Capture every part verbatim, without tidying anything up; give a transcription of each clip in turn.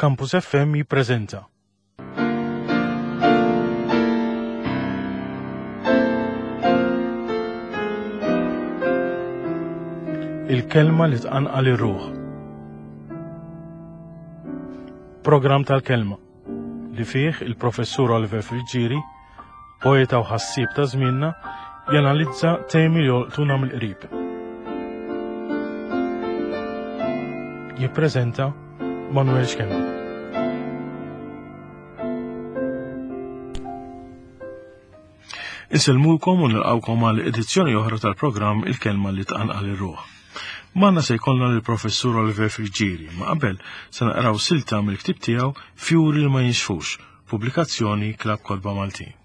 Campus F M jippreżenta. Il-kelma li tqanqal ir-ruħ. Programm tal-kelma li fih il-professur Oliver Friggieri, poeta u ħassieb ta' żmienna, janalizza temi li jolqtuna mill-qrib. Jippreżenta Manuel Schembri. Insellmulkom u nilqawkom għal edizzjoni oħra tal-programm Il-Kelma li tqanqal ir-ruħ. Magħna se jkollna lill-professur Oliver Friggieri, ma qabel se naqraw silta mill-ktieb tiegħu Fjuri li ma jinxfux, pubblikazzjoni Klabb Kotba Maltin.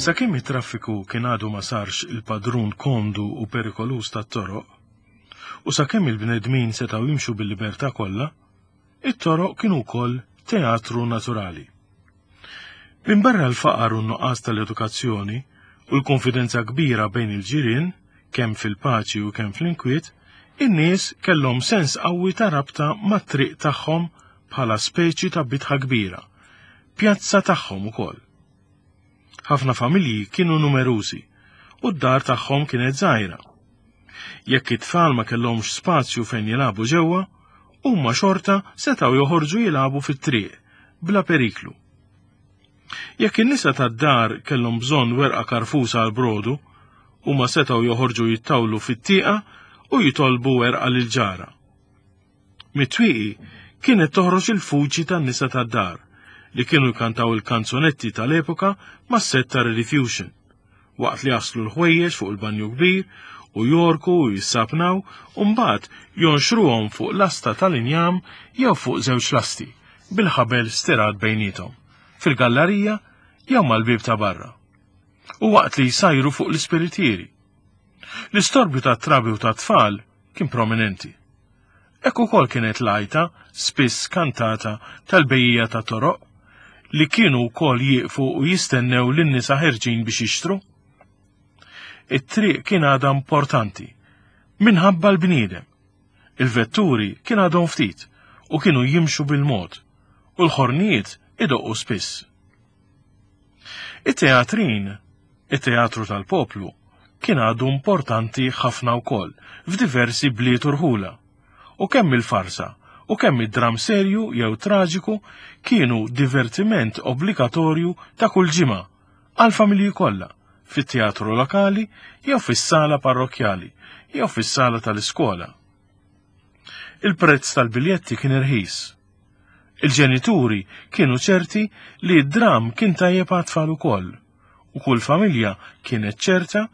Sakemm it-traffiku kien għadu ma sarx il-padrun komdu u perikolus tat-toroq, u sakemm il-bnedmin setgħu jimxu bil-libertà kollha, it-toroq kienu wkoll teatru naturali. Minbarra l-faqar u n-nuqqas tal-edukazzjoni u l-konfidenza kbira bejn il-ġirien, kemm fil-paċi u kemm fl-inkwiet, in-nies kellhom sens qawwi ta' rabta mat-triq tagħhom bħala speċi ta' bitħa kbira, pjazza tagħhom ukoll. Ħafna familji kienu numerużi u d-dar tagħhom kienet żgħira. Jekk it-tfal ma kellhomx spazju fejn jilagħbu ġewwa, huma xorta setgħu joħorġu jilagħbu fit-triq bla periklu. Jekk in-nisa tad-dar kellhom bżonn werqa karfusa għal brodu, huma setgħu joħorġu jittawlu fit-tieqa u jitolbu werqa lil ġara. Mit-twieqi kienet toħroġ il-fuġi tan-nisa tad-dar li kienu jkantaw il-kanzunetti tal-epoka ma' set ta' Rediffusion, waqt li jaslu l-ħwejjeġ fuq il-banju kbir u jorku u jissapnaw u mbagħad jonxruhom fuq lasta tal-injam jew fuq żewġ lasti bil-ħabel stirat bejniethom, fil-gallerija jew mal-bieb ta' barra. U waqt li jsajru fuq l-ispiritieri. L-istorbju tat-trabi u tat-tfal kien prominenti. Hekk ukoll kienet l-għajta, spiss kantata, tal-bejjija ta' toroq, li kienu wkoll jieqfu u jistennew lin-nisa ħerġin biex jixtru. It-triq kien għadha importanti minħabba l-bniedem. Il-vetturi kien għadhom ftit u kienu jimxu bil-mod u l-ħornijiet idoqqu spiss. It-teatrin, it-teatru tal-poplu, kien għadu importanti ħafna wkoll f'diversi bliet u rħula, u kemm il-farsa u kemm id-dram serju jew traġiku kienu divertiment obbligatorju ta' kull ġimgħa għall-familji kollha fit-teatru lokali jew fis-sala parrokkjali jew fis-sala tal-iskola. Il-prezz tal-biljetti kien irħis. Il-ġenituri kienu ċerti li d-dram kien tajjeb għat-tfal ukoll, u kull familja kienet ċerta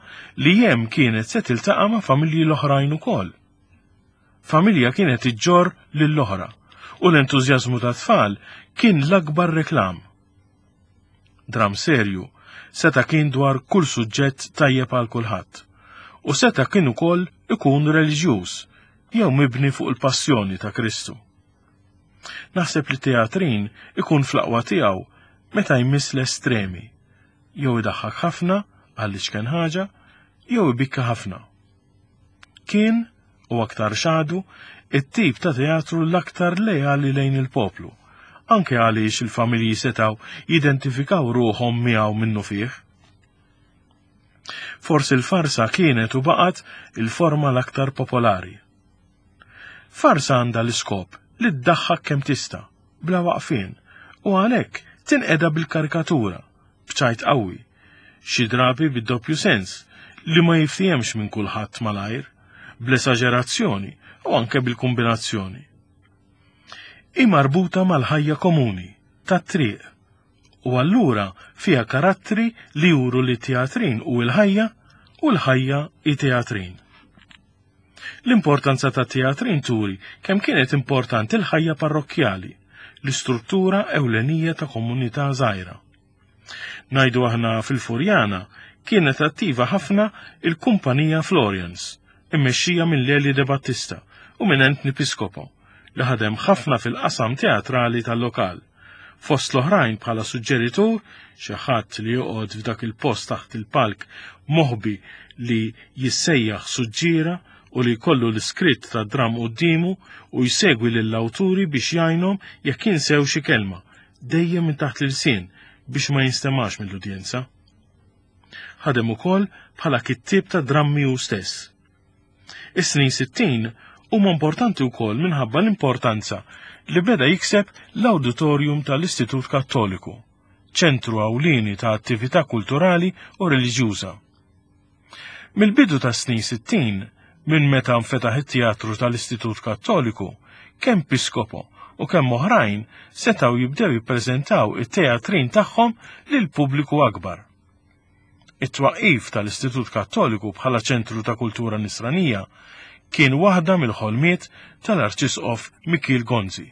li hemm kienet se tiltaqa' ma' familji l-oħrajn ukoll. Familja kienet iġġorr lill-oħra, u l-entużjażmu tat-tfal kien l-akbar reklam. Dram serju seta' kien dwar kull suġġett tajjeb għal kulħadd, u seta' kien ukoll ikun reliġjuż jew mibni fuq il-passjoni ta' Kristu. Naħseb li teatrin ikun fl-aqwa tiegħu meta jmiss l-estremi, jew idaħħak ħafna għal iċken ħaġa, jew ibikka ħafna. Kien, u aktar xadu, it-tip ta' teatru l-aktar lejali lejn il-poplu, anke għaliex il-familji setgħu jidentifikaw ruħhom miegħu minnu fih. Forsi l-farsa kienet u baqgħet il-forma l-aktar popolari. Farsa għandha l-iskop li ddaħħak kemm tista', bla waqfien, u għalhekk tinqeda bil-karikatura, b'ċajt qawwi, xi drabi bid-doppju sens li ma jiftihemx minn kulħadd malajr, bl-esaġerazzjoni u anke bil-kombinazzjoni. Hi marbuta mal-ħajja komuni, tat-triq, u allura fiha karattri li juru li teatrin u l-ħajja u l-ħajja i teatrin. L-importanza ta' teatrin turi kemm kienet importanti l-ħajja parrokkjali, l-istruttura ewlenija ta' komunità żgħira. Ngħidu aħna fil-Furjana kienet attiva ħafna il-kumpanija Florians, immexxija minn Leli De Battista u minn Anthony Piscopo, li ħadem ħafna fil-qasam teatrali tal-lokal, Fost l-oħrajn bħala suġġeritur, xi ħadd li joqgħod f'dak il-post taħt il-palk moħbi li jissejjaħ suġġiera u li jkollu l-iskritt ta' dram quddiemu u jsegwi lill-awturi biex jgħinhom jekk jinsew xi kelma, dejjem minn taħt l-ilsien biex ma jinstemax mill-udjenza. Ħadem ukoll bħala kittieb ta' drammi hu stess. Is-snin sittin huma importanti wkoll minħabba l-importanza li beda jikseb l-Auditorium tal-Istitut Kattoliku, ċentru ewlieni ta' attività kulturali u reliġjuża. Mill-bidu ta' snin sittin, minn meta nfetaħ it-teatru tal-Istitut Kattoliku, kemm Piscopo u kemm oħrajn setgħu jibdew jippreżentaw it-teatrin tagħhom lil pubbliku akbar. It-twaqqif tal-Istitut Kattoliku bħala ċentru ta' kultura nisranija kien waħda mill-ħolmiet tal-Arċisqof Mikiel Gonzi.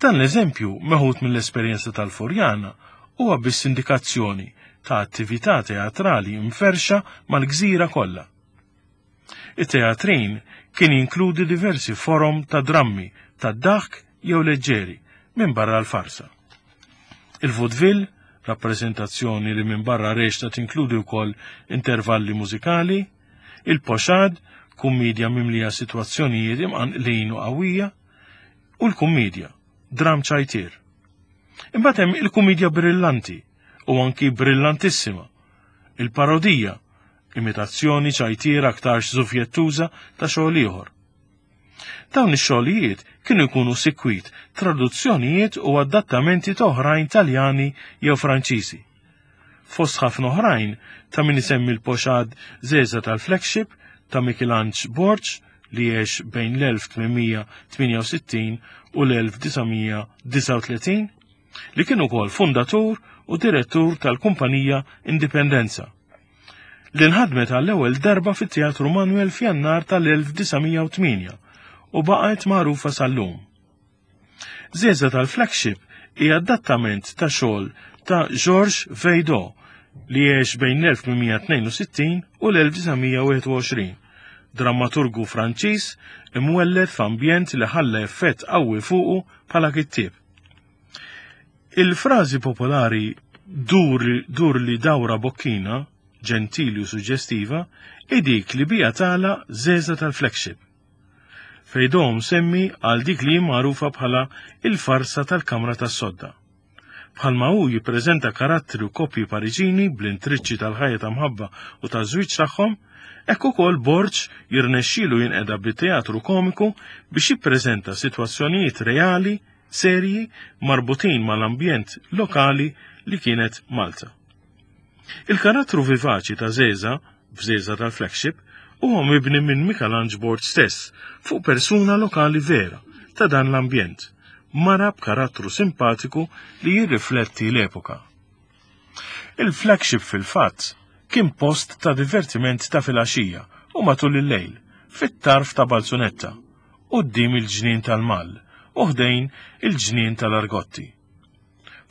Dan l-eżempju meħud mill-esperjenza tal-Furjana huwa biss indikazzjoni ta' attività teatrali mferxa mal-gżira kollha. It-teatrin kien jinkludi diversi forom ta' drammi, ta' daħk jew leġġeri minn barra l-farsa. Il-vaudeville, rappreżentazzjoni li minn barra reċta tinkludi wkoll intervalli mużikali, il-pochade, kummedja mimlija sitwazzjonijiet imqanqlin u qawwija, u l-kummedja, dram ċajtier. Imbagħad hemm il-kummedja brillanti u anki brillantissima, il-parodija, imitazzjoni ċajtier aktarx żufjettuża ta' xogħol ieħor. Dawn ix-xogħlijiet kienu jkunu sikwit traduzzjonijiet u adattamenti ta' oħrajn Taljani jew Franċiżi. Fost ħafna oħrajn ta' min isemmi l-pochade Żeża tal-Flagship ta' Mikelanġ Borg li għex bejn l-elf tmien mija tmienja u sittin u l-elf disa' mija disgħa u tletin, li kien ukoll fundatur u direttur tal-kumpanija Indipendenza, li nħadmet għall-ewwel darba fit-Teatru Manuel f'Jannar tal-elf disa' mija u tmienja u baqgħet magħrufa sal-lum. Żeża tal-Flagship hija adattament ta' xogħol ta' Georges Feydeau li għex bejn l-elf tmien mija tnejn u sittin u l-elf disa' mija wieħed u għoxrin, drammaturgu Franċiż imwelled f'ambjent li ħalla effett qawwi fuqu bħala kittieb. Il-frażi popolari dur, dur li dawra bokkina, ġentili u suġġestiva, hi dik li bija tala Żeża tal-Flagship. Feydeau semmi għal dik li magħrufa bħala il-farsa tal-Kamra tas-Sodda. Bħalma hu jippreżenta karattri u koppji Pariġini bl-intriċċi tal-ħajja ta' mħabba u ta' żwieġ tagħhom, hekk ukoll Borg jirnexxielu jinqeda bit-teatru komiku biex jippreżenta sitwazzjonijiet reali, serji, marbutin mal-ambjent lokali li kienet Malta. Il-karattru vivaċi ta' Żeża, f'Żeża tal-Flagship, huwa mibni minn Mikelanġ Borg stess fuq persuna lokali vera ta' dan l-ambjent, mara b'karattru simpatiku li jirrifletti l-epoka. Il-Flagship fil-fatt kien post ta' divertiment ta' filgħaxija u matul il-lejl, fit-tarf ta' Balzunetta, quddiem il-ġnien tal-Mall u ħdejn il-ġnien tal-Argotti.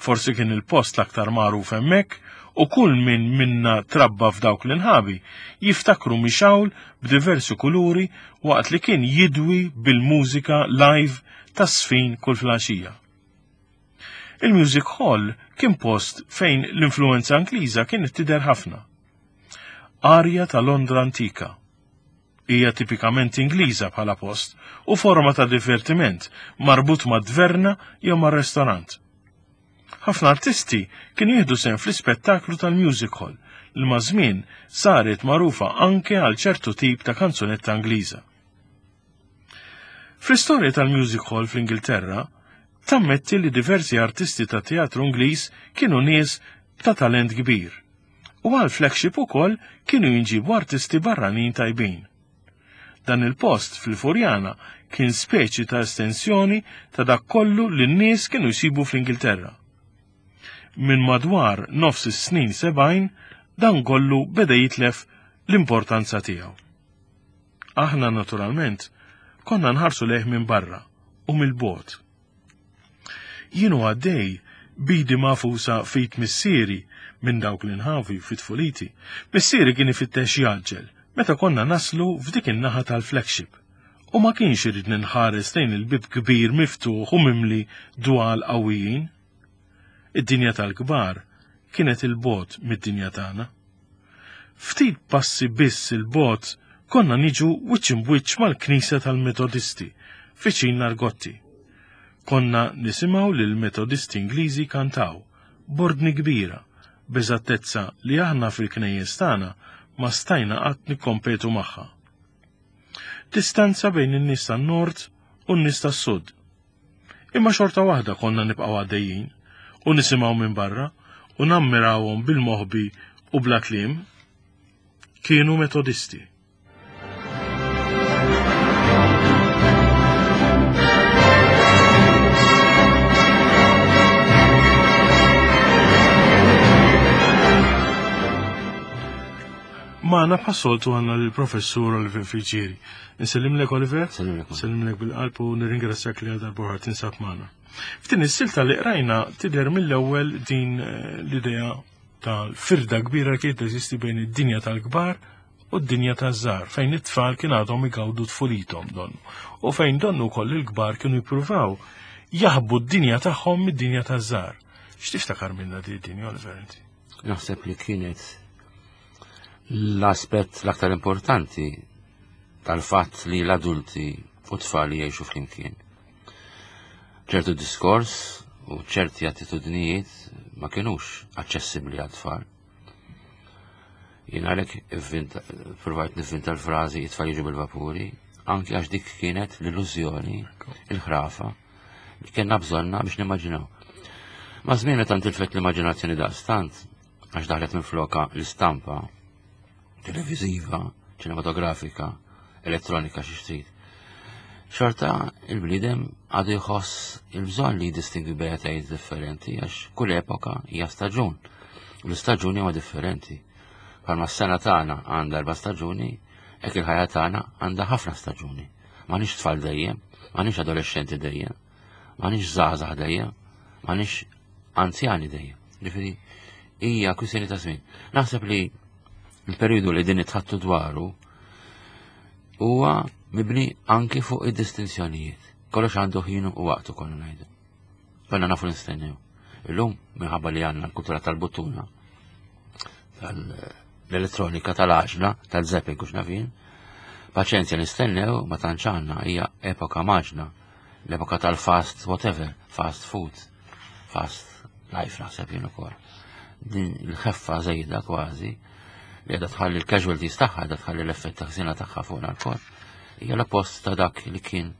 Forsi kien il-post l-aktar magħruf hemmhekk u kull min minna trabba f'dawk l-inħabi jiftakru mixawl b'diversi kuluri waqt li kien jidwi bil-mużika live ta' sfin kull filgħaxija. Il-Music Hall kien post fejn l-influenza Ingliża kienet tidher ħafna. Arja ta' Londra antika. Hija tipikament Ingliża bħala post u forma ta' divertiment marbut ma' dverna jew ma' restorant. Ħafna artisti kienu jieħdu sehem fl-ispettaklu tal-Music Hall li ma' żmien saret magħrufa anke għal ċertu tip ta' kanzunetta Ingliża. Fl-istorja tal-Music Hall fl-Ingilterra, tammetti li diversi artisti ta' teatru Ingliż kienu nies ta' talent kbir. U għal flagship ukoll kienu jinġibu artisti barranin tajbin. Dan il-post fil-Furjana kien speċi ta' estensjoni ta' dak kollu li n-nies kienu jsibu fl-Ingilterra. Minn madwar nofs is-snin sebgħin dan kollu beda jitlef l-importanza tiegħu. Aħna naturalment konna nħarsu lejh minn barra u mill-bogħod. Jienu għaddej bidi mafusa fit missieri minn dawk l-inħavi fit tfuliti. Missieri kien ifittex jaġġel meta konna naslu f'dik in-naħa tal-flagship U ma kienx irid ninħares lejn il-bib kbir miftuħ u mimli dwal qawwijin. Id-dinja tal-kbar kienet il-bogħod mid-dinja tagħna. Ftit passi biss il-bogħod konna niġu wiċċ imbwiċċ mal-Knisja tal-Metodisti viċin Nargotti. Konna nisimgħu lil Metodisti Ingliżi kantaw b'ordni kbira, b'eżattezza li aħna fil-knejjes tagħna ma stajna qatt nikkompetu magħha. Distanza bejn in-nies tan-nord u n-nies tas-sud. Imma xorta waħda konna nibqgħu għaddejjin u nisimgħu minn barra u nammirawhom bil-moħbi u bla kliem. Kienu Metodisti. Magħna bħas-soltu għandna l-professur Oliver Friggieri. Nsellimlek Oliver? Sellimlek. Nsellimlek bil-qalb u nirringrazzjak li għal darba tinsab magħna. F'din is-silta li qrajna tidher mill-ewwel din l-idea tal-firda kbira kienet teżisti bejn id-dinja tal-kbar u d-dinja taż-żgħar, fejn it-tfal kien għadhom igawdu tfulithom donnu. U fejn donnu wkoll il-kbar kienu jippruvaw jaħbu d-dinja tagħhom mid-dinja taż-żgħar. X'tiftakar minnha din id-dinja, Oliver, inti? Naħseb li kienet l-aspett l-aktar importanti tal-fatt li l-adulti u t-tfal jgħixu flimkien. Ċertu diskors u ċerti attitudnijiet ma kienux aċċessibbli għat-tfal. Jien għalhekk provajt nivvinta l-frażi it-tfal jiġu bil-vapuri, anki għax dik kienet l-illużjoni, il-ħrafa, li kellna bżonna biex nimmaġinaw. Ma' żmien meta ntilfet l-immaġinazzjoni daqstant, għax daħlet minn floka l-istampa televiżiva, ċinematografika, elettronika xi trid. Xorta il-bniedem għadu jħoss il-bżonn li jiddistingwi bejn differenti għax kull epoka hija staġun. U l-istaġuni huma differenti. Bħalma s-sena tagħna għandha erba' staġuni, hekk il-ħajja tagħna għandha ħafna staġuni. M'għandniex tfal dejjem, m'għandniex adolescenti dejjem, m'għandniex żgħażagħ dejjem, m'għandniex anzjani dejjem. Ġifieri hija kwistjoni ta' żmien. Naħseb li il-periodu li din itħattu dwaru huwa mibni anki fuq id-distinzjonijiet. Kollox għandu ħinu u waqtu konna ngħidu. Konna nafu nistennew. Illum minħabba li għandna l-kultura tal-buttuna, tal-elettronika, tal-għaġla, tal-zapping u x'nafin, paċenzja nistennew ma tantx għandna, hija epoka maġna, l-epoka tal-fast whatever, fast food, fast life naħseb jien ukoll. Din il-ħeffa żejda kważi li għadha tħalli l-casualties tagħha, għadha tħalli l-effett ta' ħsina tagħha fuqna lkoll. Hija l-oppost ta' dak li kien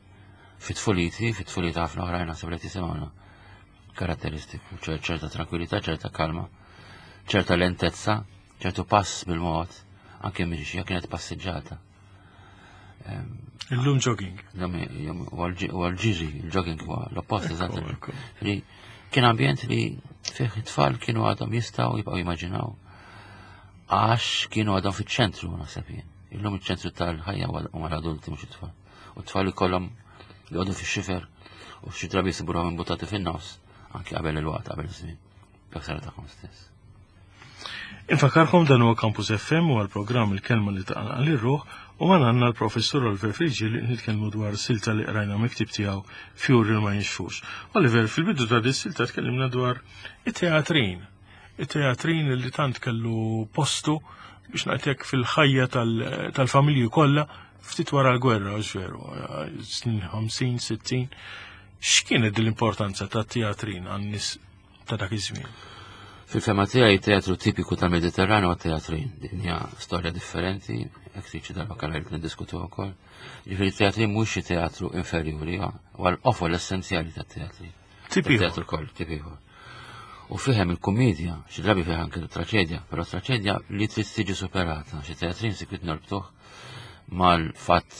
fit-tfuliti, fit-tfulita ħafna oħrajn naħseb li tisimgħuna. Karatteristiku, ċerta tranquillità, ċerta kalma, ċerta lentezza, ċertu pass bil-mod, anke mixja kienet passiġġata. Illum jogging. U għal-ġiri, il-jogging huwa l-oppost eżatt. Kien ambjent li fih it-tfal kienu għadhom jistgħu jibqgħu jimmaġinaw għax kienu għadhom fiċ-ċentru naħseb jien. Illum iċ-ċentru tal-ħajja huma l-adulti mhux it-tfal. U t-tfal ikollhom jgħodu fix-xifer u xi drabi jsibuhom imbutati fin-nofs anki qabel il-waqt, qabel iż-żmien. Dak tagħhom stess. Infakarkom dan huwa Campus F M u għall-programm Il-Kelma li taqanqal ir-ruħ u ma għandna l-professur Oliver Friggieri li nitkellmu dwar silta li qrajna miktib tiegħu Fjuri ma jinxfux. Oliver, fil-bidu ta' dis silta tkellimna dwar it-teatrin. It-teatrin li tant kellu postu biex ngħidlek fil-ħajja tal-familji kollha ftit wara l-gwerra, veru, snin ħamsin, sittin. X'kienet l-importanza tat-teatrin għan-nies ta' dak iż-żmien? Fil-fema tiegħi teatru tipiku tal-Mediterranju huwa teatrin. Din hija storja differenti, hekk trid xi darba kellha li niddiskutu wkoll. Ġifieri teatrin mhux xi teatru inferjuri, huwa l-qofol essenzjali tat-teatrin. Tipiku. Teatru koll, tipiku. U fihem il-kumedja, xi drabi fih anke traċedja, però traċedja li trid tiġi superata, xi teatrin sikwit norbtuh mal-fatt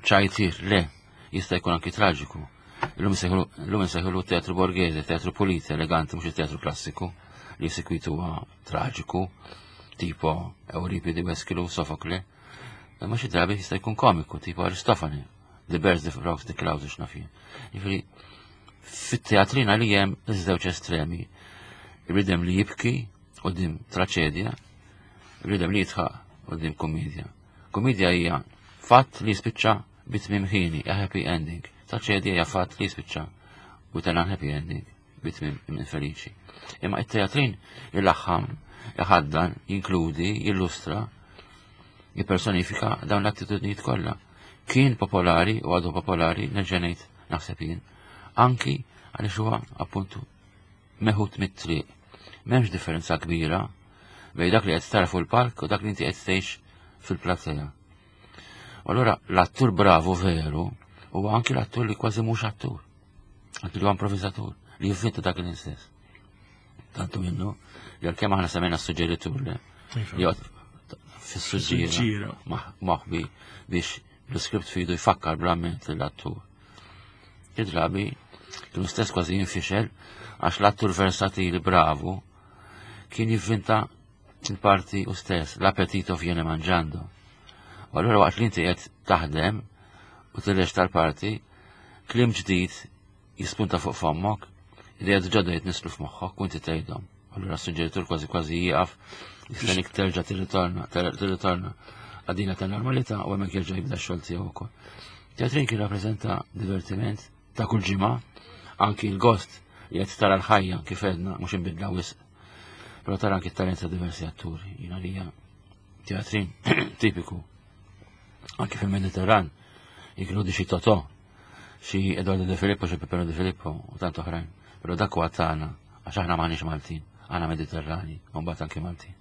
ċajtir le jista' jkun anki traġiku. Illum insejħulu teatru borghese, teatru pulito, eleganti, mhux il-teatru klassiku li sikwit huwa traġiku, tipo Euripide, Eschilo, Sofokle. Imma xi drabi jista' jkun komiku, tipo Aristofane, The Birds, The Frogs, The Clouds, x'naf jien. Jiġifieri fit-teatrina li hemm iż-żewġ estremi. Il-bniedem li jibki quddiem traċedja, il-bniedem li jidħaq quddiem kumedja. Kumedja hija Fatt li jispiċċa bi tmiem ħieni, a happy ending. Traġedja hija fatt li jispiċċa with an unhappy ending, bi tmiem infeliċi. Imma it-teatrin il-laħħam, iħaddan, jinkludi, jillustra, jippersonifika dawn l-attitudnijiet kollha. Kien popolari u għadu popolari, nerġa' ngħid naħseb jien, anki għaliex huwa appuntu meħud mit-triq. M'hemmx differenza kbira bejn dak li qed tara fuq il-palk u dak li inti qed tgħix fil-platea. U allura l-attur bravu veru huwa anki l-attur li kważi mhux attur. Anki li huwa improvvisatur li jivvinta dak l-istess. Tantu minnu li għalkemm aħna semmejna s-suġġeritur li Iva. li joqgħod fis-suġġiera Suġġiera. maħbi biex l-iskript fidu jfakkar bl-amment l-attur. Id-drabi kienu stess kważi jinfixel għax l-attur versatili bravu kien jivvinta il-parti u stess, l'appetito viene mangiando. U allura waqt li inti qed taħdem u tillex tal-parti, kliem ġdid jispunta fuq fommok, ideat ġodda jitnislu f'moħħok u inti tgħidhom. Allura s-suġġeritur kważi kważi jieqaf, jistennik terġa' tirritorna, tirritorna għadina ta' normalità u hemmhekk jerġa' jibda x-xogħol tiegħu wkoll. Teatrin kien rappreżenta divertiment ta' kull ġimgħa, anki l-gost li qed tara l-ħajja kif għedna mhux inbidla wisq. Però tara anki t-talent ta' diversi atturi, jiena li hija teatrin tipiku. Anki fil-Mediterran, jinkludi xi Totò, xi Eduardo De Filippo, xi Peppino De Filippo u tant oħrajn. Però dak huwa tagħna, għax aħna m'aħniex Maltin, aħna Mediterrani, u mbagħad anki Maltin.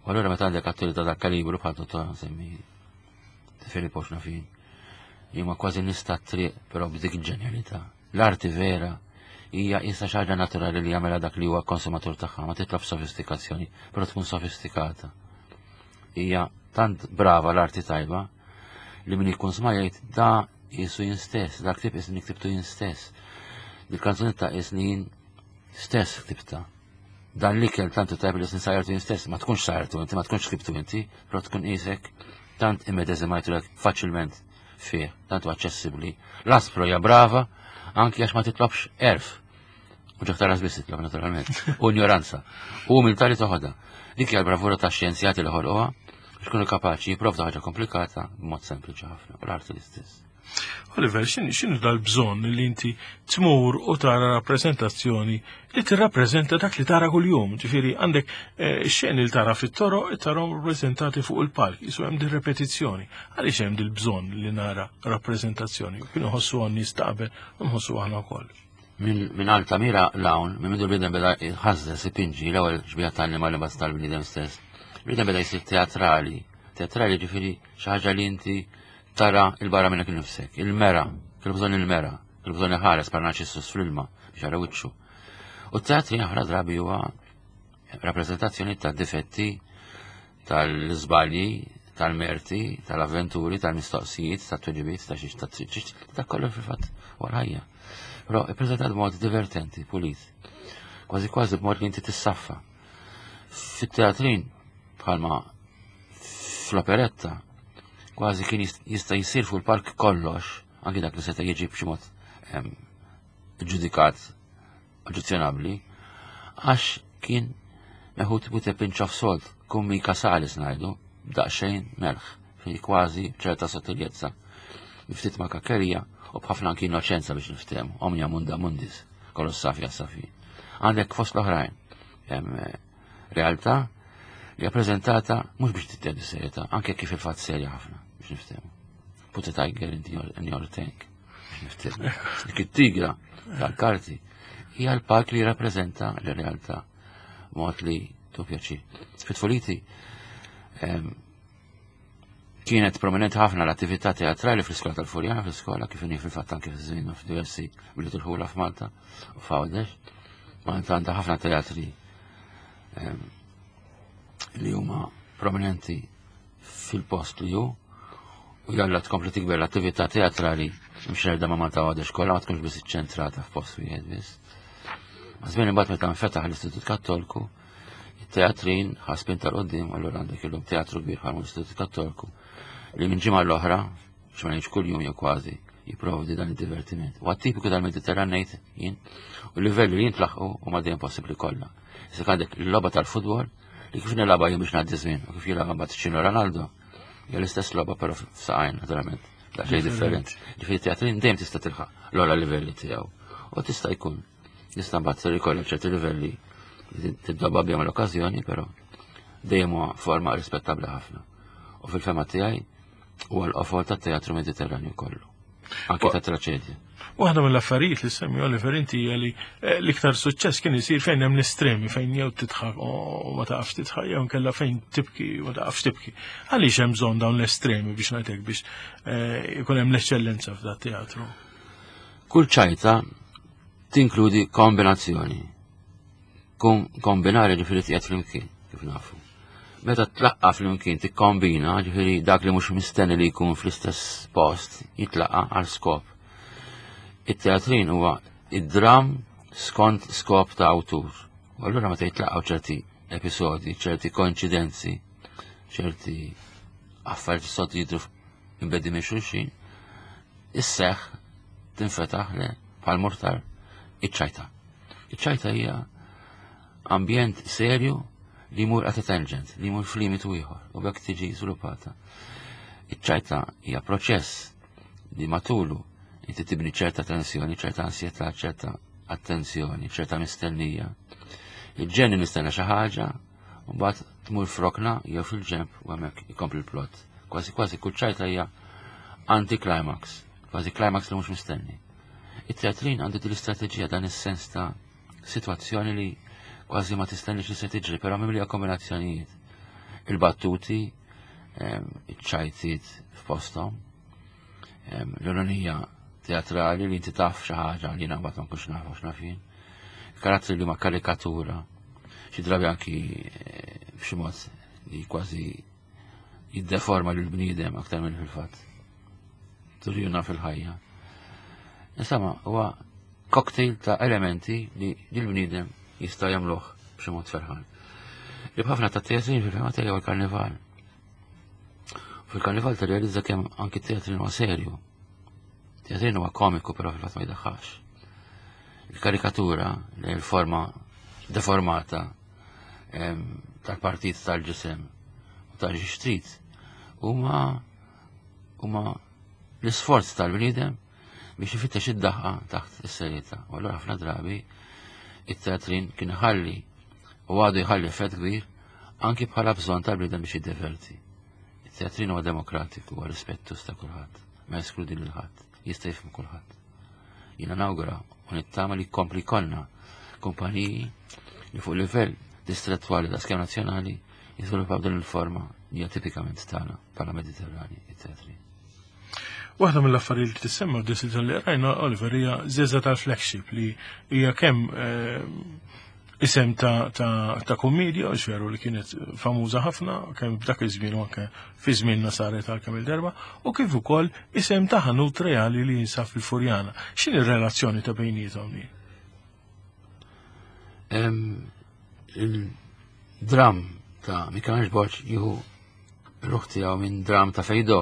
U allura meta għandek atturi ta' dak kalibru bħal Totò nsemmi De Filippo x'nafin, huma kważi nista' triq però b'dik il-ġenjalità. L-arti vera hija issa xi ħaġa naturali li jagħmilha dak li huwa konsumatur tagħha, ma titlob sofistikazzjoni, però tkun sofistikata. Hija tant brava l-arti tajba li min ikun sma jgħid da jisu jien stess, dak tip isni ktibtu jien stess. Dil-kanzunetta isni jien stess ktibta. Dan l-ikel tantu tajb li isni sajrtu jien stess, ma tkunx sajrtu inti, ma tkunx ktibtu inti, però tkun isek tant immedezimajtu lek faċilment fih, tant aċċessibbli. L-aspro hija brava, anki għax ma titlobx erf. U ġaktar biss titlob, naturalment. U ignoranza. U umiltà li toħodha. Dik hija l-bravura ta' xjenzjati li ħolquha biex kunu kapaċi jipprovdu ħaġa komplikata b'mod sempliċi ħafna. U l-arti l-istess. Oliver, x'inhu dal-bżonn li inti tmur u tara rappreżentazzjoni li tirrappreżenta dak li tara kuljum? Ġifieri għandek eh, xeni li tara fit-toroq tarahom rappreżentati fuq il-palk, jisu hemm din repetizzjoni. Għaliex hemm dil-bżonn li nara rappreżentazzjoni? Kienu ħossu għan nies ta' qabel u nħossu aħna wkoll. Minn Altamira l-hawn, minn mindu l-bniedem beda jħażżes ipinġi l-ewwel xbieha tal-annimal li tal-bniedem stess. Bniedem beda jsir teatrali. Teatrali ġifieri xi ħaġa li inti tara il-barra minnek nifsek, il-mera, kellu bżonn il-mera, kellu bżonn iħares par Narcissus fl-ilma biex jara wiċċu. U t-teatri ħafna drabi huwa rappreżentazzjoni ta' difetti, tal-żbalji, tal-merti, tal-avventuri, tal-mistoqsijiet, tal-tweġibiet, ta' xiex, ta' xiex, ta' kollu fil-fatt wara ħajja. Però ippreżentat b'mod divertenti, pulit. Kważi kważi b'mod li inti tissaffa. Fit-teatrin, bħalma fl-operetta, kważi kien jista' jsir fuq il-palk kollox, anki dak li seta' jiġi b'xi mod ġudikat oġġezzjonabbli, għax kien meħud with a pinch of salt, cum mica salis ngħidu, daqsxejn melħ, fi kważi ċerta sottiljezza. Ftit ma kakkerija u b'ħafna anki innoċenza biex niftehmu, omnia munda mundis, kollox safi safi. Għandek fost l-oħrajn, realtà li rappreżentata mhux biex tittieħed serjetà, anke kif il-fatt serja ħafna biex niftehmu. Put a tiger in your, in your tank biex niftehmu. Dik it-tigra tal-karti hija l-palk li jirrappreżenta l-realtà mod li tu pjaċir. Fit-tfuliti kienet prominenti ħafna l-attività teatrali fl-iskola tal-Furjana, fl-iskola kif inhi fil-fatt anke fiż-żmien f'diversi bliet il-ħula f'Malta u f'Għawdex. Malta għandha ħafna teatri li huma prominenti fil-post li hu u jalla tkompli tikber l-attività teatrali mxerda ma' Malta Għawdex kollha, ma tkunx biss iċċentrata f'post wieħed biss. Ma' żmien imbagħad meta nfetaħ l-Istitut Kattolku, it-teatrin ħa spinta 'l quddiem, allura għandek illum teatru kbir bħal l-Istitut Kattolku li minn ġimgħa l-oħra, biex ma ngħidx kuljum jew kważi, jipprovdi dan id-divertiment. U tipiku tal-Mediterran ngħid jien, u l-livelli li jintlaħqu huma dejjem possibbli kollha. Issa għandek il-logħba tal-futbol li kif nilgħabha jien biex ngħaddi żmien u kif jilgħabha mbagħad Cristiano Ronaldo Hija l-istess logħba però f'saqajn naturalment. Daqsxejn differenti. Ġifieri teatrin dejjem tista' tilħaq l-ogħla livelli tiegħu. U tista' jkun. Tista' mbagħad ikollok ċerti livelli tiddobba bihom l-okkażjoni, però dejjem huwa forma rispettabbli ħafna. U fil-fema tiegħi huwa l-qofol tat-teatru Mediterranju kollu. Anki ta' traċedja. Waħda mill-affarijiet li semmi Oliver inti hija li eh, l-iktar suċċess kien isir fejn hemm l-estremi, fejn jew tidħak u ma taqafx tidħak jew inkella fejn tibki u ma taqafx tibki. Għaliex hemm bżonn dawn l-estremi biex ngħidlek biex eh, ikun hemm l-eċċellenza f'dat teatru? Kull ċajta tinkludi kombinazzjoni. Kombinare ġifieri tiegħed flimkien, kif nafu. Meta tlaqqa flimkien tikkombina, ġifieri dak li mhux mistenni li jkun fl-istess post jitlaqqa għal skop. It-teatrin huwa id-dram skont skop ta' awtur. U allura meta jitlaqgħu ċerti episodi, ċerti koincidenzi, ċerti affarijiet sod jidru imbedi minn xulxin, isseħ tinfetaħ le bħal mortar iċ-ċajta. Iċ-ċajta hija ambjent serju li jmur at a tangent, li jmur f'limitu ieħor u bekk tiġi żviluppata. Iċ-ċajta hija proċess li matulu inti tibni ċerta tensjoni, ċerta ansjetà, ċerta attenzjoni, ċerta mistennija. Il-ġeni nistenna xi ħaġa, u mbagħad tmur frokna jew fil-ġemp u hemmhekk ikompli l-plot. Kważi kważi kull ċajta hija anti-climax, kważi climax li mhux mistenni. It-teatrin għandu din l-istrateġija, dan is-sens ta' sitwazzjoni li kważi ma tistennix li se tiġri, però mimlija kombinazzjonijiet. Il-battuti, iċ-ċajtiet f'posthom, l-ironija teatrali li inti taf xi ħaġa li jiena mbagħad ma nkunx naf għax naf jien. Karattri li ma karikatura, xi drabi anki b'xi mod li kważi jiddeforma lil bniedem aktar minn fil-fatt. Turjuna fil-ħajja. Insomma, huwa cocktail ta' elementi li l-bniedem jista' jagħmluh b'xi mod ferħan. Li b'ħafna ta' teatrin fil-fema tiegħi huwa l-karnival. Fil-karnival tirrealizza kemm anki teatrin huwa serju. Teatrin huwa komiku però fil-fatt ma jdaħħax. Il-karikatura, li l-forma deformata tal-partit tal-ġisem u tal-ġixtrit huma huma l-isforz tal-bniedem biex ifittex id-daħqa taħt is-serjetà. U allura ħafna drabi it-teatrin kien ħalli u għadu jħalli effett kbir anki bħala bżonn tal-bniedem biex jiddeverti. Il-teatrin huwa demokratiku, huwa rispettus ta' kulħadd, ma jeskludi lil ħadd, jista' jifhem kulħadd. Jiena nawgura u nittama li jkompli jkollna kumpaniji li fuq livell distrettwali ta' skema nazzjonali jiżviluppaw din il-forma li hija tipikament tagħna bħala Mediterrani, it-teatrin. Waħda mill-affarijiet li tissemma f'deċiżjoni li rajna, Oliver, hija Żeża tal-Flagship li hija kemm eh, isem ta', ta, ta' kommedja, u veru li kienet famuża ħafna, kemm f'dak iż-żmien u anke fi żmienna saret għal kemm il-darba, u kif ukoll isem ta' ħanut reali li jinsab fil-Furjana. X'inhi r-relazzjoni ta' bejniethom li? Il-dram ta' Michelangelo Borg jieħu ruħ tiegħu minn dram ta' Fejdo,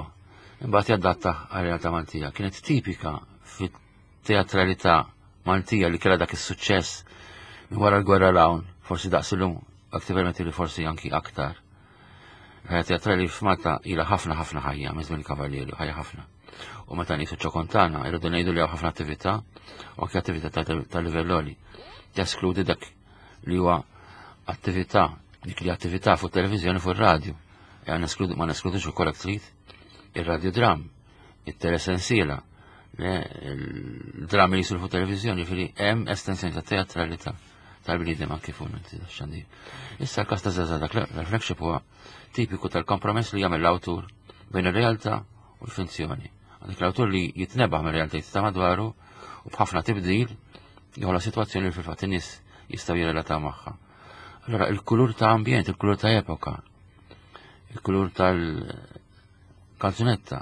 imbagħad jadatta għal-realtà Maltija. Kienet tipika fit-teatralità Maltija li kellha dak is-suċċess minn wara l-gwerra l-hawn, forsi daqs illum, aktar li forsi anki aktar. Ħajja teatrali f'Malta ilha ħafna ħafna ħajja, minn żmien il-Kavallieri, ħajja ħafna. U meta nisu ċokontana, irridu ngħidu li hawn ħafna attività, u anke attività ta' livell għoli. Teskludi dak li huwa attività, dik li attività fuq televizjoni, fuq radio. E ma neskludux ukoll trid ir-radiodram, it-telesensiela, il-drammi li jisiru fuq televizjoni, ġifieri hemm estensjoni ta' teatralità tal-bniedem anke fuq xandir. Issa l-każ ta' Żeża dak l-flagship huwa tipiku tal-kompromess li jagħmel l-awtur bejn ir-realtà u l-finzjoni. Għandek l-awtur li jitnebaħ mir-realtajiet ta' madwaru u b'ħafna tibdil joħloq sitwazzjoni li fil-fatt in-nies jistgħu jirrelataw magħha. Allora il-kulur ta' ambjent, il-kulur ta' epoka, il-kulur tal-kanzunetta,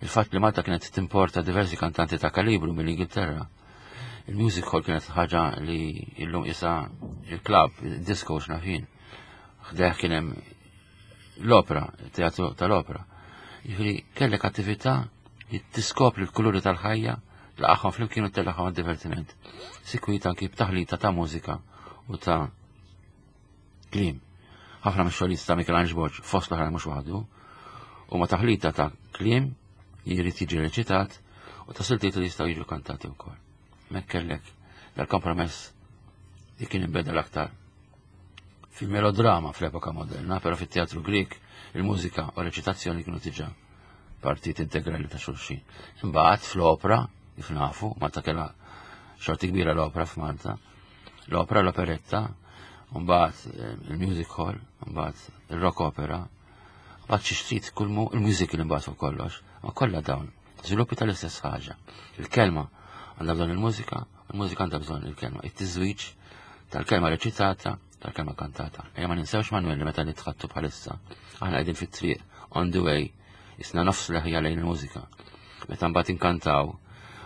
il-fatt li Malta kienet timporta diversi kantanti ta' kalibru mill-Ingilterra. Il-music hall kienet ħaġa li illum isa il-club, il-disco x'nafin. Ħdejh kien hemm l-opera, il-teatru tal-opera. Jiġifieri kellek attività li tiskopri l-kuluri tal-ħajja, laqaħħom flimkien u tellaqhom għad-divertiment. Sikwit anki b'taħlita ta' mużika u ta' kliem. Ħafna mix-xogħlijiet ta' Michelangelo Borg fost l-oħrajn mhux waħdu, Huma taħlita ta' kliem li jrid jiġi reċitat u ta' siltiet li jistgħu jiġu kantati wkoll. Hemmhekk kellek dal-kompromess li kien inbeda l-aktar fil-melodrama fl-epoka moderna, però fit-teatru Grek il-mużika u reċitazzjoni kienu diġà partit integrali ta' xulxin. Imbagħad fl-opra, kif nafu, Malta kellha xorti kbira l-opra f'Malta, l-opra, l-operetta, mbagħad eh, il-music hall, mbagħad il-rock opera, mbagħad xi trid kulmu il-musical imbagħad fuq kollox, ma kollha dawn, żviluppi tal-istess ħaġa. Il-kelma għandha bżonn il-mużika, il-mużika għandha bżonn il-kelma. It-tiżwiġ tal-kelma reċitata, tal-kelma kantata. Ejja ma ninsewx Manuel li meta nitħaddtu bħalissa, aħna qegħdin fit-triq, on the way, jisna nofs leħja lejn il-mużika. Meta mbagħad inkantaw,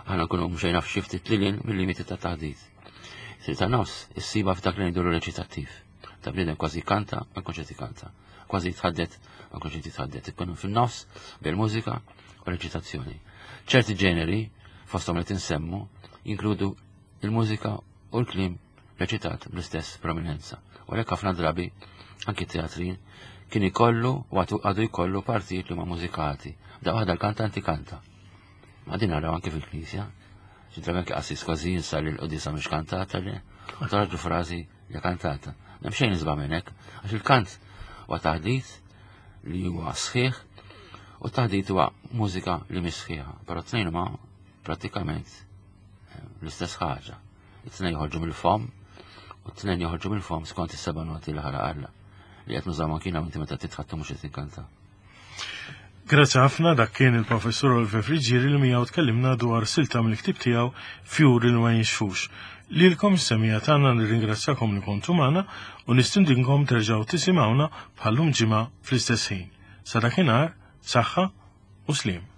aħna nkunu mxejna f'xi ftit lilin mill-limiti ta' taħdit. Sir ta' nofs, issiba f'dak li ngħidulu reċitattiv. Ta' bniedem kważi kanta, ma jkunx qed ikanta. Kważi jitħaddet, ma jkunx qed jitħaddet. Ikun fin-nofs bil-mużika u reċitazzjoni. Ċerti ġeneri, fosthom li tinsemmu, jinkludu il-mużika u l-kliem reċitat bl-istess prominenza. U għalhekk ħafna drabi anki teatrin kien ikollu u għadu jkollu partijiet li huma mużikati. Da waħda l-kantanti kanta. Ma din naraw anki fil-knisja. Xi drabi anki qassis kważi jinsa li l-qudisa mhux kantata li u toħroġ frażi li kantata. M'hemm xejn isbaħ minn hekk, għax il-kant huwa taħdit li huwa sħiħ u taħdit huwa mużika li mhix sħiħa, però t-tnejn huma prattikament eh, l-istess ħaġa. It-tnejn joħorġu mill-fom u t-tnejn joħorġu mill-fom skont is-seba' noti li ħalaq Alla li qed nużaw anki inti meta titħaddtu mhux qed tinkanta. Grazzi ħafna dak kien il-professur Oliver Friggieri li miegħu tkellimna dwar silta mill-ktib tiegħu Fjuri li ma jinxfux. Lilkom is-semmiegħa tagħna nirringrazzjakom li kontu magħna u nistedinkom terġgħu tisimgħuna bħal-lum ġimgħa fl-istess ħin. Sa dakinhar, saħħa u sliem.